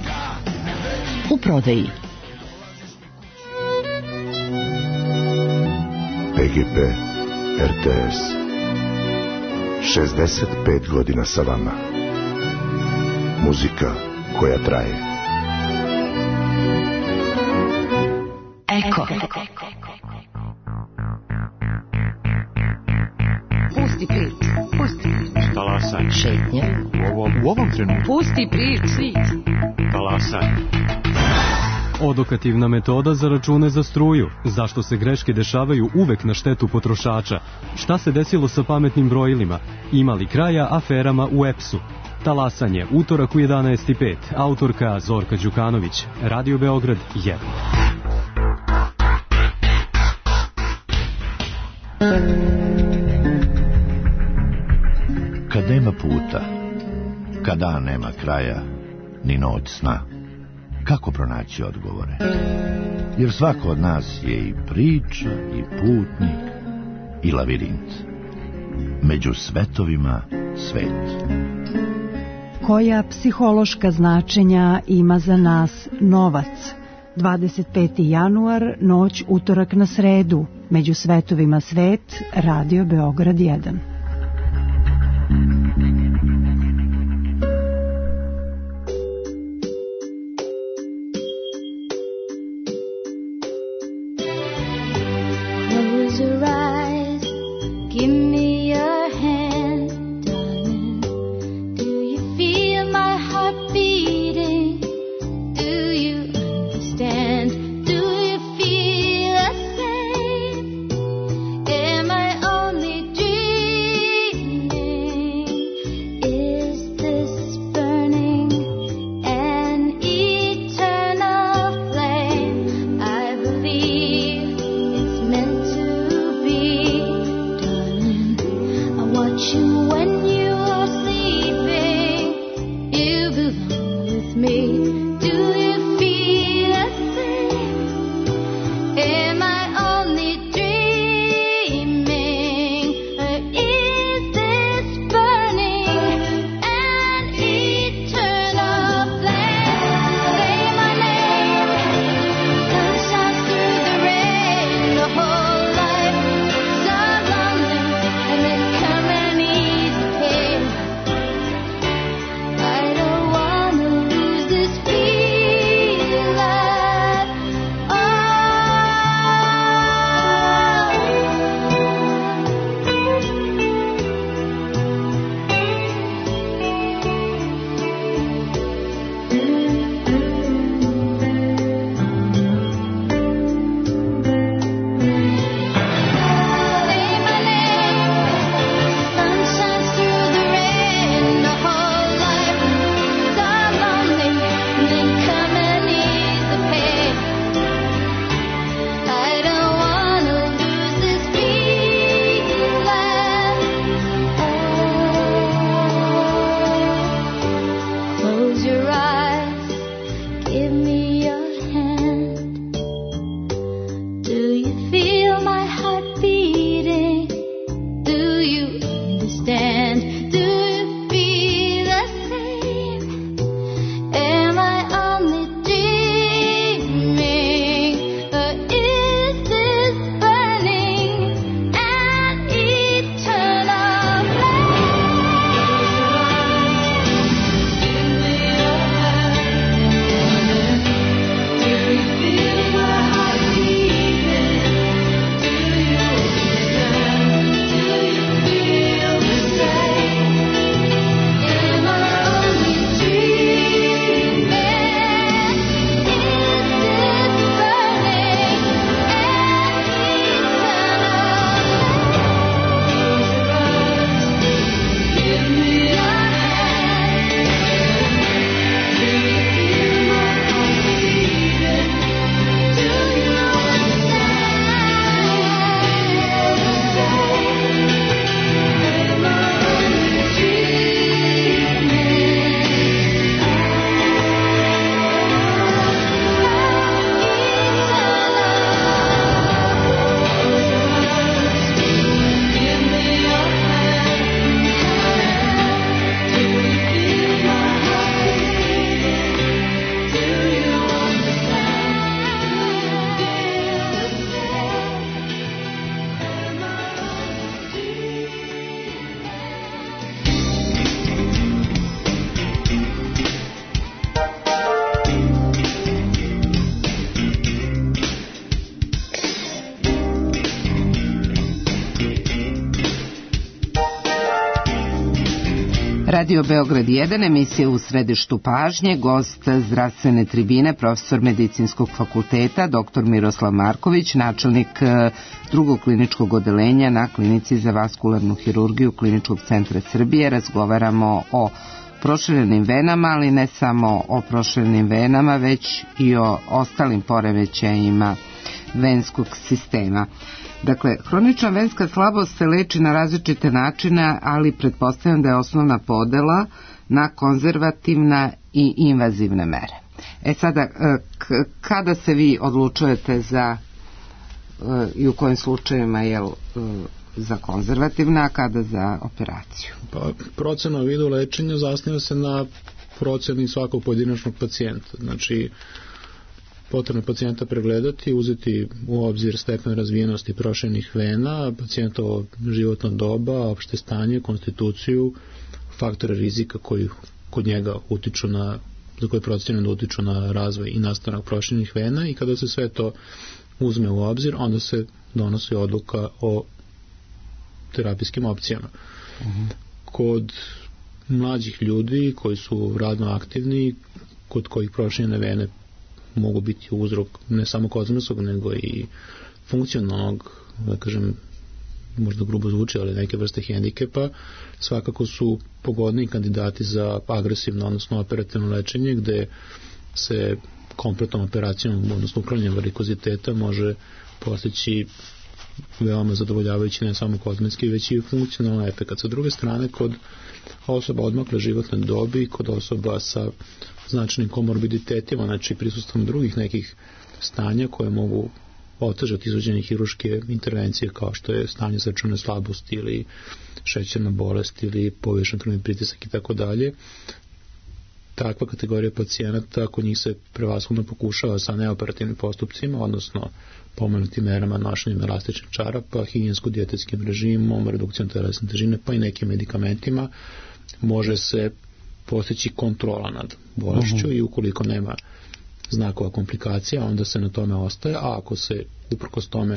U prodaji. P G P R T S šezdeset pet godina sa vama. Muzika koja traje. Eko. Pusti prič, pusti prič. Talasaj. Šetnje. U ovom, u ovom trenutku. Pusti prič. Talasaj. Odokativna metoda za račune za struju. Zašto se greške dešavaju uvek na štetu potrošača? Šta se desilo sa pametnim brojilima? Ima li kraja aferama u E P S-u? Talasanje, utorak u jedanaest i pet. Autorka Zorka Đukanović. Radio Beograd jedan. Kad nema puta, kad dan nema kraja, ni noć sna, kako pronaći odgovore. Jer svako od nas je i priča, i putnik, i lavirint. Među svetovima svet. Koja psihološka značenja ima za nas novac? dvadeset peti januar, noć utorak na sredu. Među svetovima svet, Radio Beograd jedan. Radio Beograd jedan, emisija U središtu pažnje, gost zdravstvene tribine, profesor medicinskog fakulteta, doktor Miroslav Marković, načelnik drugog kliničkog odeljenja na klinici za vaskularnu hirurgiju Kliničkog centra Srbije. Razgovaramo o proširenim venama, ali ne samo o proširenim venama, već i o ostalim poremećajima venskog sistema. Dakle, hronična venska slabost se leči na različite načine, ali pretpostavljam da je osnovna podela na konzervativna i invazivne mere. E sada, k- kada se vi odlučujete za i u kojim slučajevima je za konzervativna, a kada za operaciju? Pa, procena o vidu lečenja zasniva se na proceni svakog pojedinačnog pacijenta. Znači, potrebno pacijenta pregledati, uzeti u obzir stepen razvijenosti prošenih vena, pacijentovo životno doba, opšte stanje, konstituciju, faktore rizika koji kod njega utiču na, za koje procenjeno da utiču na razvoj i nastanak prošenih vena, i kada se sve to uzme u obzir, onda se donosi odluka o terapijskim opcijama. Uh-huh. Kod mlađih ljudi koji su radno aktivni, kod kojih proširene vene mogu biti uzrok ne samo kozmosog, nego i funkcionalnog, da kažem, možda grubo zvuči, ali neke vrste hendikepa, svakako su pogodni kandidati za agresivno, odnosno operativno lečenje, gde se kompletnom operacijom, odnosno uklanjanjem varikoziteta, može postići veoma zadovoljavajući ne samo kozmetski, već i funkcionalni efekat. Sa druge strane, kod osoba odmakle životne dobi, kod osoba sa značajnim komorbiditetima, znači prisustvom drugih nekih stanja koje mogu otežati izvođenje hiruške intervencije, kao što je stanje srčane slabosti ili šećerna bolest ili povišen krvni pritisak i tako dalje, takva kategorija pacijenata, kod njih se prevashodno pokušava sa neoperativnim postupcima, odnosno pomenutim merama nošenjem elastičnih čarapa, higijensko-dijetetskim režimom, redukcijom telesne težine, pa i nekim medikamentima, može se postići kontrola nad bolešću. Uh-huh. I ukoliko nema znakova komplikacija, onda se na tome ostaje, a ako se uprkos tome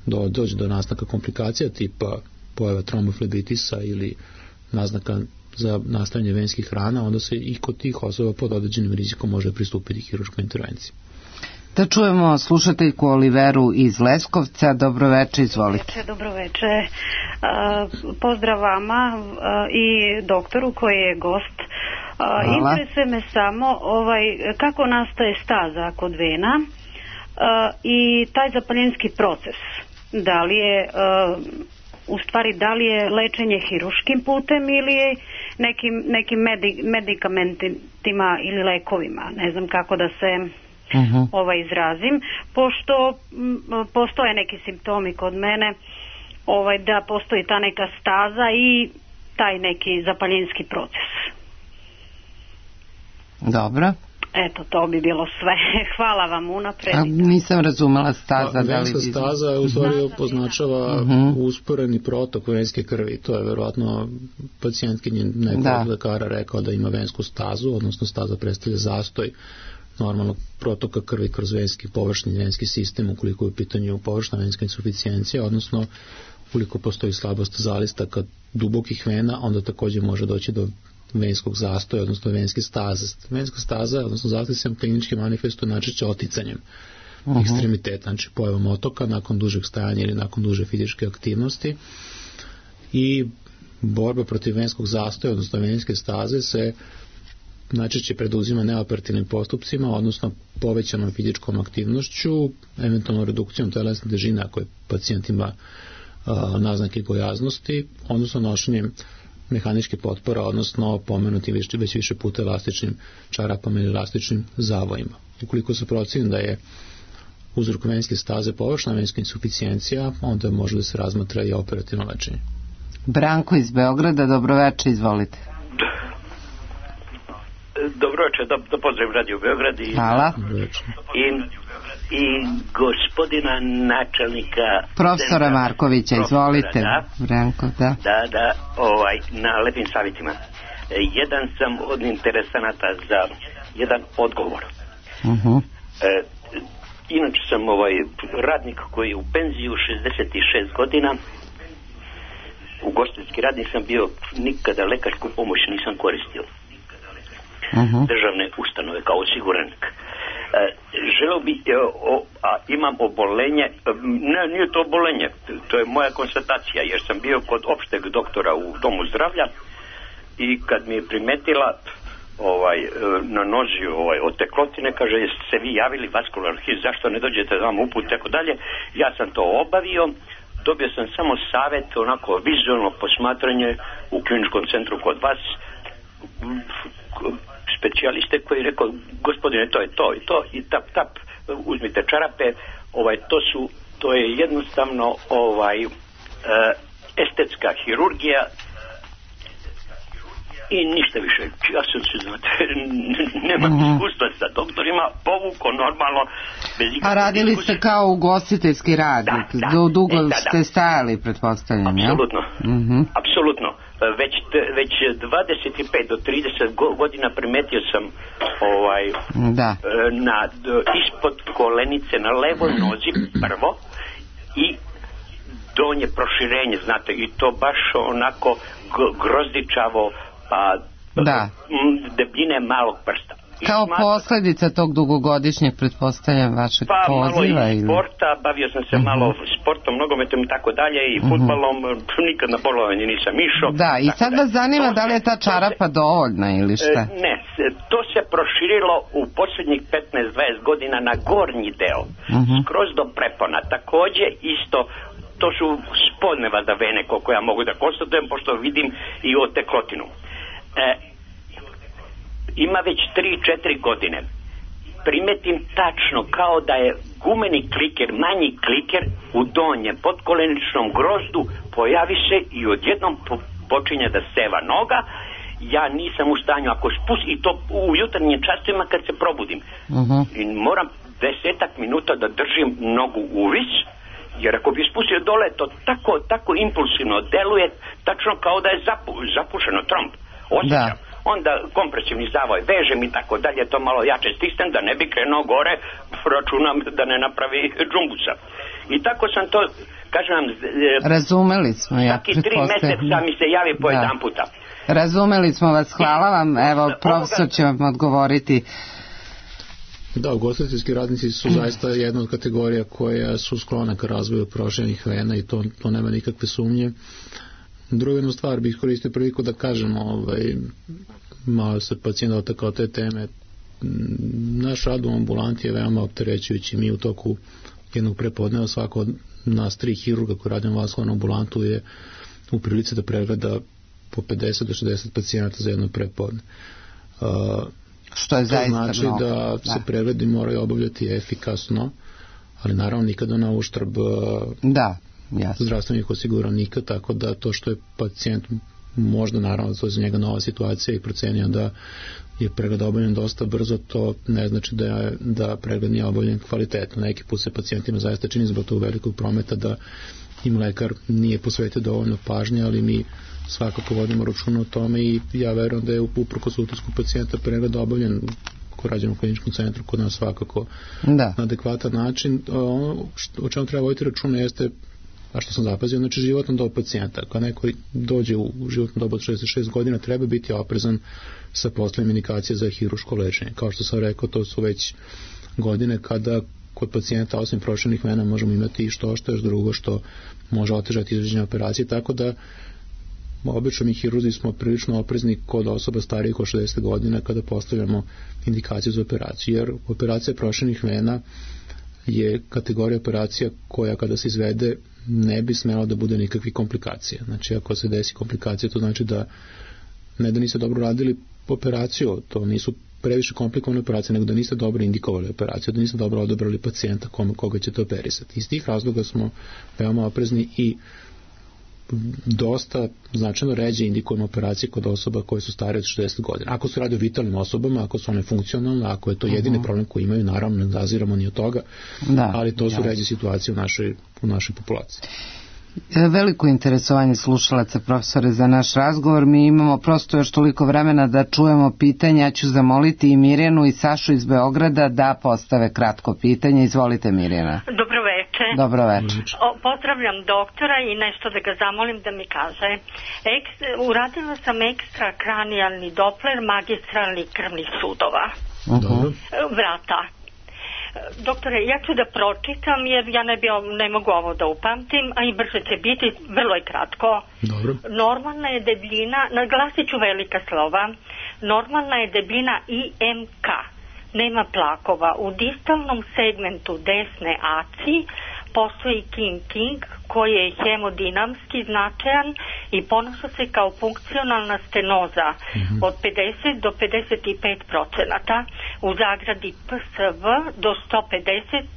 do, dođe do nastanka komplikacija tipa pojava tromboflebitisa ili naznaka za nastavljanje venskih rana, onda se i kod tih osoba pod određenim rizikom može pristupiti hiruškoj intervenciji. Da čujemo slušateljku Oliveru iz Leskovca. Dobro veče, izvolite. Dobro veče. Pozdrav vama i doktoru koji je gost. Interesuje me samo ovaj, kako nastaje staza kod vena i taj zapaljenski proces. Da li je u stvari da li je lečenje hiruškim putem ili je nekim, nekim medi, medikamentima ili lekovima, ne znam kako da se uh-huh. ovaj izrazim, pošto m, postoje neki simptomi kod mene, ovaj, da postoji ta neka staza i taj neki zapaljenski proces. Dobro. Eto, to bi bilo sve. Hvala vam unapred. A, nisam razumela staza. Pa, venska staza u stvari označava uh-huh. usporeni protok venske krvi. To je verovatno pacijentkinje nekog da. lekara rekao da ima vensku stazu, odnosno staza predstavlja zastoj normalnog protoka krvi kroz venski, površni venski sistem, ukoliko je u pitanju površna venska insuficijencija, odnosno ukoliko postoji slabost zalistaka dubokih vena, onda također može doći do venskog zastoja, odnosno venske staze. Venska staza, odnosno zastoj se klinički manifestuje najčešće oticanjem uh-huh. ekstremiteta, znači pojavom otoka nakon dužeg stajanja ili nakon duže fizičke aktivnosti, i borba protiv venskog zastoja, odnosno venske staze, se najčešće preduzima neoperativnim postupcima, odnosno povećanom fizičkom aktivnošću, eventualno redukcijom telesne težine ako je pacijent ima uh, naznake gojaznosti, odnosno nošenjem mehaničke potpora, odnosno pomenuti već, već više puta elastičnim čarapama ili elastičnim zavojima. Ukoliko se proceni da je uzrok venske staze površna venska insuficijencija, onda može da se razmatra i operativno lečenje. Branko iz Beograda, dobroveče, izvolite. Dobroveče, da, da pozdravim Radio Beograd i, Hvala. i, i gospodina načelnika profesora centra, Markovića, izvolite. Da, Branko, da. Da, da, ovaj, na lepim savjetima. Jedan sam od interesanata za jedan odgovor. Uh-huh. E, inače sam ovaj radnik koji je u penziju, šezdeset šest godina, ugostiteljski radnik sam bio, nikada lekarsku pomoć nisam koristio. Uh-huh. Državne ustanove kao osiguranik. E, želeo bi, e, o, a imam obolenje, ne, nije to obolenje, to je moja konstatacija, jer sam bio kod opšteg doktora u domu zdravlja i kad mi je primetila ovaj, na nozi ovaj, od teklotine, kaže, jeste se vi javili vaskular hit, zašto ne dođete da vam uput, tako dalje. Ja sam to obavio, dobio sam samo savjet, onako vizualno posmatranje u kliničkom centru kod vas, specijaliste koji je rekao, gospodine, to je to i to i tap tap, uzmite čarape, ovaj, to su, to je jednostavno ovaj, uh, estetska hirurgija i ništa više. Ja sam se, znate, nema mm-hmm. iskustva sa doktorima, povuko normalno. Bez a radili ste kao ugostiteljski radnik, da, da, dugo e, da, da. ste stajali, pretpostavljam, ja? Apsolutno, mm-hmm. apsolutno. Već, već dvadeset pet do trideset godina primetio sam ovaj, da. na, ispod kolenice na levoj nozi prvo i donje proširenje, znate, i to baš onako grozdičavo, pa da. debljine malog prsta. I kao smatram, posljedica tog dugogodišnjeg, pretpostavljam, vašeg pa, poziva? Pa malo i ili... sporta, bavio sam se uh-huh. malo sportom, nogometom i tako dalje i uh-huh. fudbalom, nikad na bolovanje nisam išao. Da, i sad vas zanima to da li je ta čarapa se, dovoljna ili šta? Ne, to se proširilo u posljednjih petnaest dvadeset godina na gornji deo, uh-huh. skroz do prepona. Također isto, to su spodne vada vene, koliko ja mogu da konstatujem, pošto vidim i oteklotinu. E, ima već tri četiri godine. Primetim tačno kao da je gumeni kliker, manji kliker u donjem podkoleničnom grozdu pojavi se i odjednom po, počinje da seva noga. Ja nisam u stanju, ako spustim, i to u jutarnjim časovima kad se probudim. Uh-huh. I moram desetak minuta da držim nogu uvis, jer ako bi spustio dole, to tako, tako impulsivno deluje, tačno kao da je zapu, zapušeno tromb. Osjećam. Da. Onda kompresivni zavoj vežem i tako dalje, to malo jače stisnem da ne bi krenuo gore, računam da ne napravi džumbusa. I tako sam to, kažem vam, razumeli smo, ja svaki tri mjeseca mi se javi po jedan puta. Razumeli smo vas, hvala vam, evo profesor će vam odgovoriti. Da, ugostiteljski radnici su zaista jedna od kategorija koja su sklona ka razvoju proširenih vena i to, to nema nikakve sumnje. Druga jedna stvar bih koristio priliku da kažem, ovaj, malo se pacijent dotakao te teme. Naš rad u ambulanti je veoma opterećujući. Mi u toku jednog prepodneva svako od nas tri hirurga koji radimo vaskularnu ambulantu je u prilici da pregleda po pedeset do šezdeset pacijenata za jedno prepodne. Uh, Što je zaista mnogo. To znači da, da se pregledi moraju obavljati efikasno, ali naravno nikada na uštrb da. Jasno. zdravstvenih osiguranika, tako da to što je pacijent možda naravno to je za njega nova situacija i procenio da je pregled obavljen dosta brzo, to ne znači da, je, da pregled nije obavljen kvalitetno. Neki put se pacijentima zaista čini zbog tog velikog prometa da im lekar nije posvetio dovoljno pažnje, ali mi svakako vodimo računa o tome i ja verujem da je uprkos utisku pacijenta pregled obavljen ko rađemo u kliničkom centru kod nas svakako da. na adekvatan način. Ono što, o čemu treba voditi računa jeste, a što sam zapazio, znači životna dob pacijenta. Kad neko dođe u životnu dobu od šezdeset šest godina, treba biti oprezan sa poslovima indikacije za hiruško lečenje. Kao što sam rekao, to su već godine kada kod pacijenta osim proširenih vena možemo imati i što što još drugo što može otežati izvođenje operacije, tako da obično mi hirurzi smo prilično oprezni kod osoba starijih od šezdeset godina kada postavljamo indikaciju za operaciju, jer operacija proširenih vena je kategorija operacija koja kada se izvede ne bi smjela da bude nikakvih komplikacija. Znači ako se desi komplikacija, to znači da ne da niste dobro radili operaciju, to nisu previše komplikovane operacije, nego da niste dobro indikovali operaciju, da niste dobro odabrali pacijenta kome, koga ćete operisati. Iz tih razloga smo veoma oprezni i dosta značajno ređe indikujemo operacije kod osoba koje su stare od šezdeset godina. Ako se radi o vitalnim osobama, ako su one funkcionalne, ako je to jedini uh-huh. problem koji imaju, naravno ne zaziramo ni od toga, da, ali to su jasno. Ređe situacije u našoj, u našoj populaciji. Veliko interesovanje slušalaca, profesore, za naš razgovor. Mi imamo prosto još toliko vremena da čujemo pitanja. Ja ću zamoliti i Mirjanu i Sašu iz Beograda da postave kratko pitanje. Izvolite, Mirjana. Dobro veče. Dobro veče. O, pozdravljam doktora i nešto da ga zamolim da mi kaže. Eks, uradila sam ekstrakranijalni dopler magistralnih krvnih sudova. Uh-huh. Vrata. Doktore, ja ću da pročitam jer ja ne, bi, ne mogu ovo da upamtim, a i brže će biti, vrlo je kratko. Dobro. Normalna je debljina, naglasit ću velika slova, normalna je debljina I M K, nema plakova. U distalnom segmentu desne aci postoji King King koji je hemodinamski značajan i ponaša se kao funkcionalna stenoza mm-hmm. od pedeset do pedeset pet procenata, u zagradi P S V do sto pedeset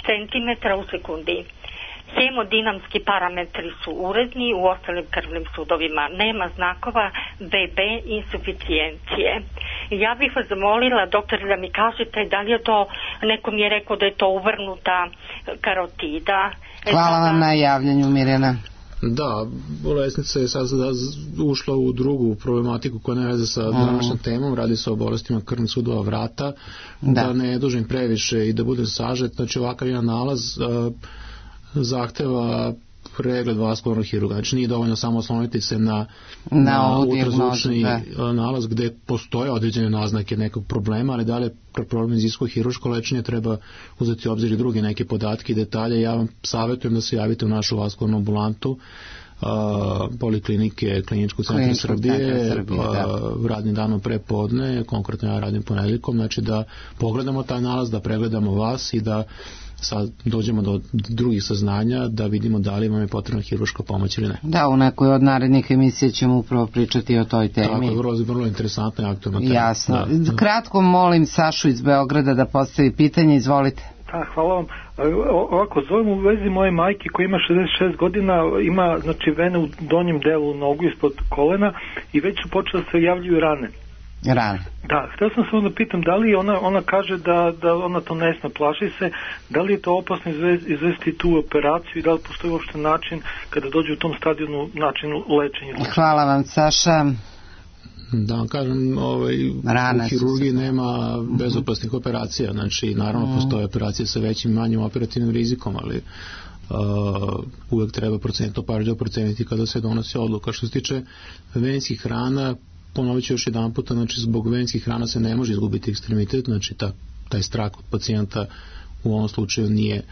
centimetara u sekundi. Hemodinamski parametri su uredni u ostalim krvnim sudovima. Nema znakova B B insuficijencije. Ja bih vas zamolila, doktor, da mi kažete da li je to, neko mi je rekao da je to uvrnuta karotida. Hvala vam na javljanju, Mirjana. Da, bolesnica je sad ušla u drugu problematiku koja ne veze sa današnjom temom, radi se o bolestima krvnih sudova vrata, da, da ne dužim previše i da budem sažet, znači ovakav jedan nalaz uh, zahteva pregled vaskularnog hirurga. Znači nije dovoljno samo osloniti se na, na, na ultrazvučni nalaz gde postoje određene naznake nekog problema, ali da li problem iziskuje hirurško lečenje, treba uzeti u obzir i druge neke podatke i detalje. Ja vam savjetujem da se javite u našu vaskularnu ambulantu Uh, poliklinike Kliničkog centra Srbije, Srbije uh, radnim danom pre podne, konkretno ja radim ponedjeljkom, znači da pogledamo taj nalaz, da pregledamo vas i da sad dođemo do drugih saznanja, da vidimo da li vam je potrebna hirurška pomoć ili ne. Da, u nekoj od narednih emisija ćemo upravo pričati o toj temi. Tako je, vrlo, vrlo interesantna i aktualna tema. Jasno. Da. Kratko molim Sašu iz Beograda da postavi pitanje, izvolite. Da, hvala vam. Ovako, zovem u vezi moje majke koja ima šezdeset šest godina, ima znači vene u donjem delu nogu ispod kolena i već su počele da se javljaju rane. Rane. Da, htio sam se onda pitam da li ona, ona kaže da, da ona to ne zna, plaši se, da li je to opasno izvesti tu operaciju i da li postoji uopšte način kada dođe u tom stadionu način lečenja? Hvala vam, Saša. Da vam kažem, ovaj, u hirurgiji nema bezopasnih operacija, znači naravno mm. postoje operacije sa većim i manjim operativnim rizikom, ali uh, uvek treba procentno pažljivo proceniti kada se donosi odluka. Što se tiče venskih rana, ponovit ću još jedan puta, znači zbog venskih rana se ne može izgubiti ekstremitet, znači ta, taj strah od pacijenta u ovom slučaju nije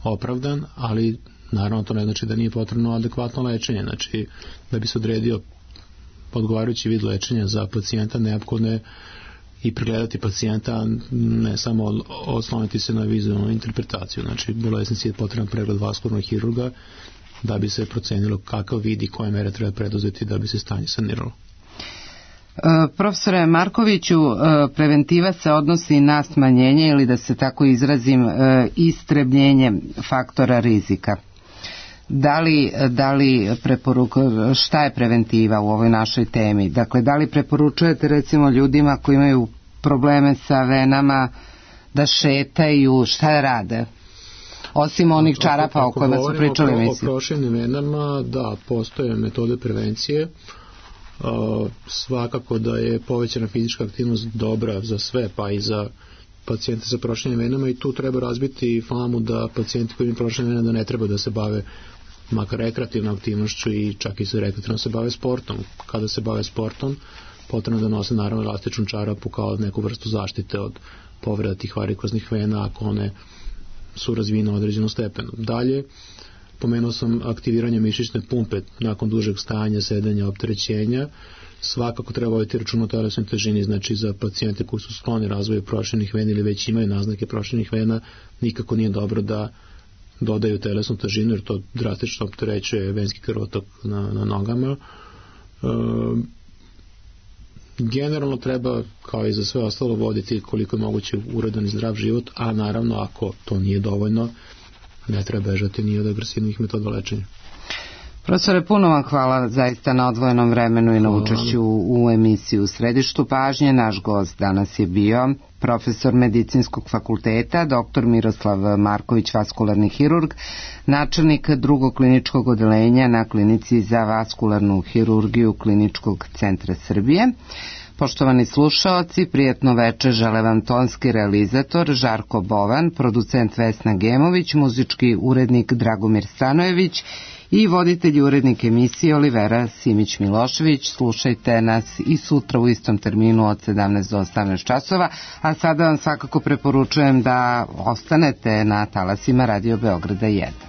opravdan, ali naravno to ne znači da nije potrebno adekvatno lečenje, znači da bi se odredio odgovarajući vid lečenja za pacijenta, neophodno je i pregledati pacijenta, ne samo osloniti se na vizualnu interpretaciju. Znači, bolesnici je potreban pregled vaskularnog hirurga da bi se procenilo kakav vid i koje mere treba preduzeti da bi se stanje saniralo. Profesore Markoviću, preventiva se odnosi na smanjenje ili da se tako izrazim istrebljenje faktora rizika. Da li, da li preporuka, šta je preventiva u ovoj našoj temi? Dakle, da li preporučujete recimo ljudima koji imaju probleme sa venama da šetaju, šta da rade? Osim onih čarapa o kojima su pričali mislim. mislim. O proširenim venama, da, postoje metode prevencije. Uh, svakako da je povećana fizička aktivnost dobra za sve, pa i za pacijente sa proširenim venama, i tu treba razbiti famu da pacijenti koji imaju proširene vene da ne treba da se bave makar rekreativnom aktivnošću i čak i se rekreativno se bave sportom. Kada se bave sportom, potrebno da nose naravno elastičnu čarapu kao neku vrstu zaštite od povreda tih varikoznih vena ako one su razvijene u određenom stepenu. Dalje, pomenuo sam aktiviranje mišićne pumpe nakon dužeg stajanja, sedenja, opterećenja. Svakako treba voditi račun o telesnoj težini, znači za pacijente koji su skloni razvoju proširenih vena ili već imaju naznake proširenih vena, nikako nije dobro da dodaju telesnu težinu jer to drastično opterećuje venski krvotok na, na nogama. E, generalno treba, kao i za sve ostalo, voditi koliko je moguće uredan i zdrav život, a naravno ako to nije dovoljno, ne treba bežati ni od agresivnih metoda lečenja. Profesore, puno vam hvala zaista na odvojenom vremenu i na učešću u emisiji U središtu pažnje. Naš gost danas je bio profesor Medicinskog fakulteta, doktor Miroslav Marković, vaskularni hirurg, načelnik drugog kliničkog odeljenja na klinici za vaskularnu hirurgiju Kliničkog centra Srbije. Poštovani slušaoci, prijetno večer žele vam tonski realizator Žarko Bovan, producent Vesna Gemović, muzički urednik Dragomir Stanojević i voditelj i urednik emisije Olivera Simić-Milošević. Slušajte nas i sutra u istom terminu od sedamnaest do osamnaest časova, a sada vam svakako preporučujem da ostanete na talasima Radio Beograda jedan.